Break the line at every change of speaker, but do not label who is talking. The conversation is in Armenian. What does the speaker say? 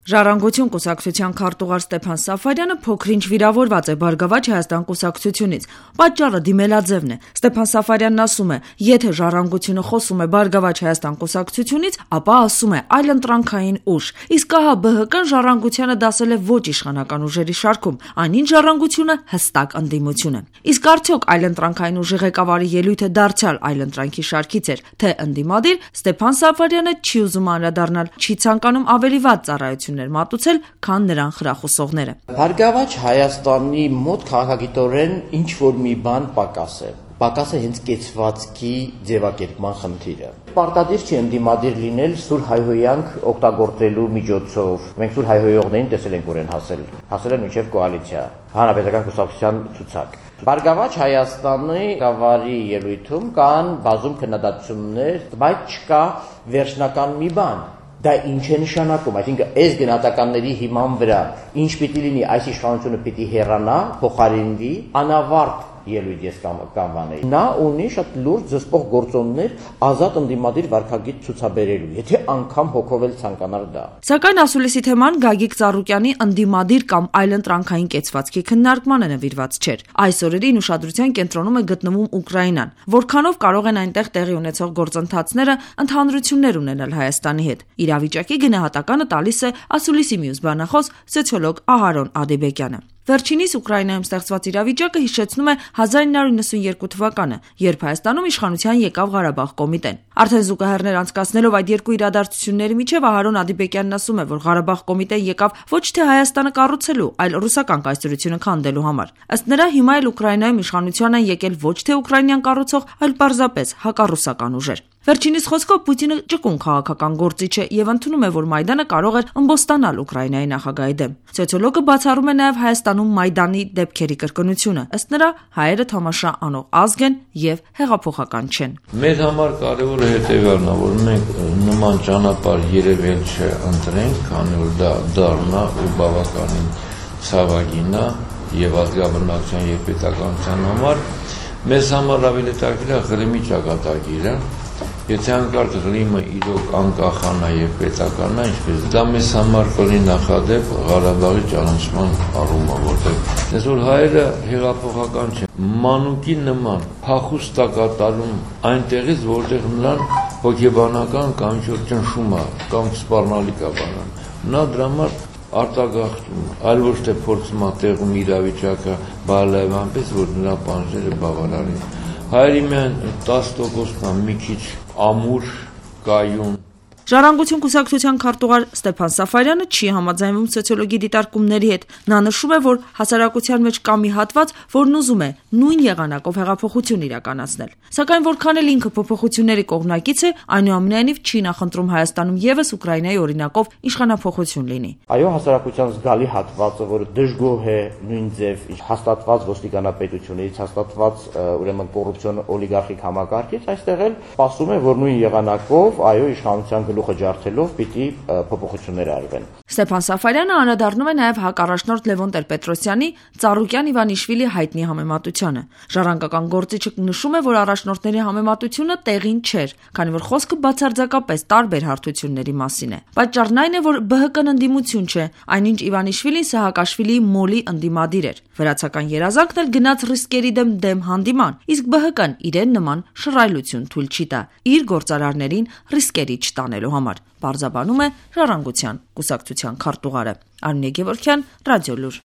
Ժառանգություն կուսակցության քարտուղար Ստեփան Սաֆարյանը փոքր-ինչ վիրավորված է Բարգավաճ Հայաստան կուսակցությունից։ Պատճառը դիմելաձևն է։ Ստեփան Սաֆարյանն ասում է, եթե Ժառանգությունը խոսում է Բարգավաճ Հայաստան կուսակցությունից, ապա ասում է այլընտրանքային ուժ։ Իսկ ահա ԲՀԿ-ն Ժառանգությանը դասել է ոչ իշխանական ուժերի շարքում, այնինչ Ժառանգությունը հստակ ընդդիմություն է։ Իսկ արդյոք այլընտրանքային ուժի ղեկավարի ելույթը դարձյալ այլընտրանքի շարքից էր, թե ընդդիմադիր, Ստեփան Սաֆարյանը չի ուզում անդրադառնալ, չի ցանկանում ավելի վատ ծառայություններ մատուցել, քան նրան խրախուսողները։
Բարգավաճ Հայաստանի մոտ քաղաքագիտորեն ինչ որ մի բան պակաս է հենց կեցվածքի ձևակերպման խնդիրը։ Պարտադիր չի ընդդիմադիր լինել սուր հայհոյանք օգտագործելու միջոցով։ Մենք սուր հայհոյողներին տեսել ենք որեն հասել են մինչև կոալիցիա, հանրապետական կուսակցության ցուցակ։ Բարգավաճ Հայաստանի ղեկավարի ելույթում կան բազում քննադատություններ, բայց չկա վերջնական մի բան։ Դա ինչ է նշանակում, այսինքն այս գնահատականների հիման վրա ինչ պիտի լինի, այս իշխանությունը պիտի հեռանա, փոխարինվի, անավարտ ելույթ ես կանվանեի։ Նա ունի շատ լուրջ զսպող գործոններ ազատ ընդդիմադիր վարքագիծ ցուցաբերելու, եթե անգամ հոգովել ցանկանար դա։
Սակայն ասուլիսի թեման Գագիկ Ծառուկյանի ընդդիմադիր կամ այլընտրանքային կեցվածքի քննարկմանը նվիրված չէր։ Այս օրերին ուշադրության կենտրոնում է գտնվում Ուկրաինան, որքանով կարող են այնտեղ տեղի ունեցող գործընթացները ընդհանրություններ ունենալ Հայաստանի հետ։ Իրավիճակի գնահատականը տալիս է ասուլիսի մյուս բանախոս սոցիոլոգ Ահարոն Ադիբեկյանը։ Վերջինիս Ուկրաինայում ստեղծված իրավիճակը հիշեցնում է 1992 թվականը, երբ Հայաստանում իշխանության եկավ Ղարաբաղ կոմիտեն։ Արդեն զուգահեռներ անցկացնելով այդ երկու իրադարձությունների միջև Ահարոն Ադիբեկյանն ասում է, որ Ղարաբաղ կոմիտեն եկավ ոչ թե Հայաստանը կառուցելու, այլ ռուսական կայսրությունը քանդելու համար։ Ըստ նրա, հիմա էլ Ուկրաինայում իշխանության են եկել ոչ թե ուկրաինյան կառուցող, այլ պարզապես հակառուսական ուժեր։ Վերջինիս խոսքով Պուտինը ճկուն քաղաքական գործիչ է եւ ընդունում է, որ Մայդանը կարող էր ըմբոստանալ Ուկրաինայի նախագահի դեմ։ Սոցիոլոգը բացառում է նաեւ Հայաստանում Մայդանի դեպքերի կրկնությունը։ Ըստ նրա, հայերը թամաշա անող ազգ են եւ հեղափոխական չեն։
Մեր համար կարևորը հետեւյալն է, որ մենք նման ճանապարհ երևել չէ ընտրենք, քանի որ դա դառնա ու բավականին ցավագին է եւ ազգաբնակության եւ պետականության համար մեզ համար ավելի տակիր է Ղրիմի ճակատագիրը։ Եթե անկարգ Ղրիմը իրոք անկախանա եւ պետականա, ինչպես դա մեզ համար կլինի նախադեպ Ղարաբաղի ճանաչման առումով, որտեղ այսօր հայերը հեղափոխական չեն, մանուկի նման փախուստ կատարում այնտեղից, որտեղ նրան հոգեբանական կամ ինչ-որ ճնշում է, կամ սպառնալիք է բանան։ Նա դրա համար արտագաղթում, այլ ոչ թե փորձում է տեղում իրավիճակը բարելավել այնպես, որ նրա բանջերը բավարար են։ Հայերի միայն 10%-ն մի քիչ ամուր, կայուն։
Ժառանգություն կուսակցության քարտուղար Ստեփան Սաֆարյանը չի համաձայնվում սոցիոլոգի դիտարկումների հետ։ Նա նշում է, որ հասարակության մեջ կա մի հատված, որն ուզում է նույն եղանակով հեղափոխություն իրականացնել։ Սակայն որքան էլ ինքը փոփոխությունների կողմնակից է, այնուամենայնիվ չի նախընտրում Հայաստանում եւս Ուկրաինայի օրինակով իշխանափոխություն լինի։
Այո, հասարակության զգալի հատվածը, որը դժգոհ է նույն ձև հաստատված ոստիկանապետությունից, հաստատված ուրեմն կոռուպցիոն օլիգարխիկ համակարգից, այստեղ էլ ասում է, որ նույն եղանակով, այո, իշխանության գլուխը ջարդելով պիտի փոփոխություններ արվեն։
Ստեփան Սաֆարյանը անդրադառնում է նաև հակառաջնորդ Լևոն Տեր-Պետրոսյանի Ծառուկյան-Իվանիշվիլի հայտնի համեմատությանը։ Ժառանգական գործիչը նշում է, որ առաջնորդների համեմատությունը տեղին չէր, քանի որ խոսքը բացարձակապես տարբեր հարթությունների մասին է։ Պատճառն այն է, որ ԲՀԿ-ն ընդդիմություն չէ, այնինչ Իվանիշվիլին Սահակաշվիլիի մոլի ընդդիմադիր էր։ Վրացական երազանքն էլ գնաց ռիսկերի դեմ հանդիման, իսկ ԲՀԿ-ն իրեն նման շռայլություն թույլ չի տա իր գործարարներին ռիսկերի չտանելու համար, պարզաբանում է Ժառանգության կուսակցության քարտուղարը։ Արմինե Գևորգյան, Ռադիոլուր։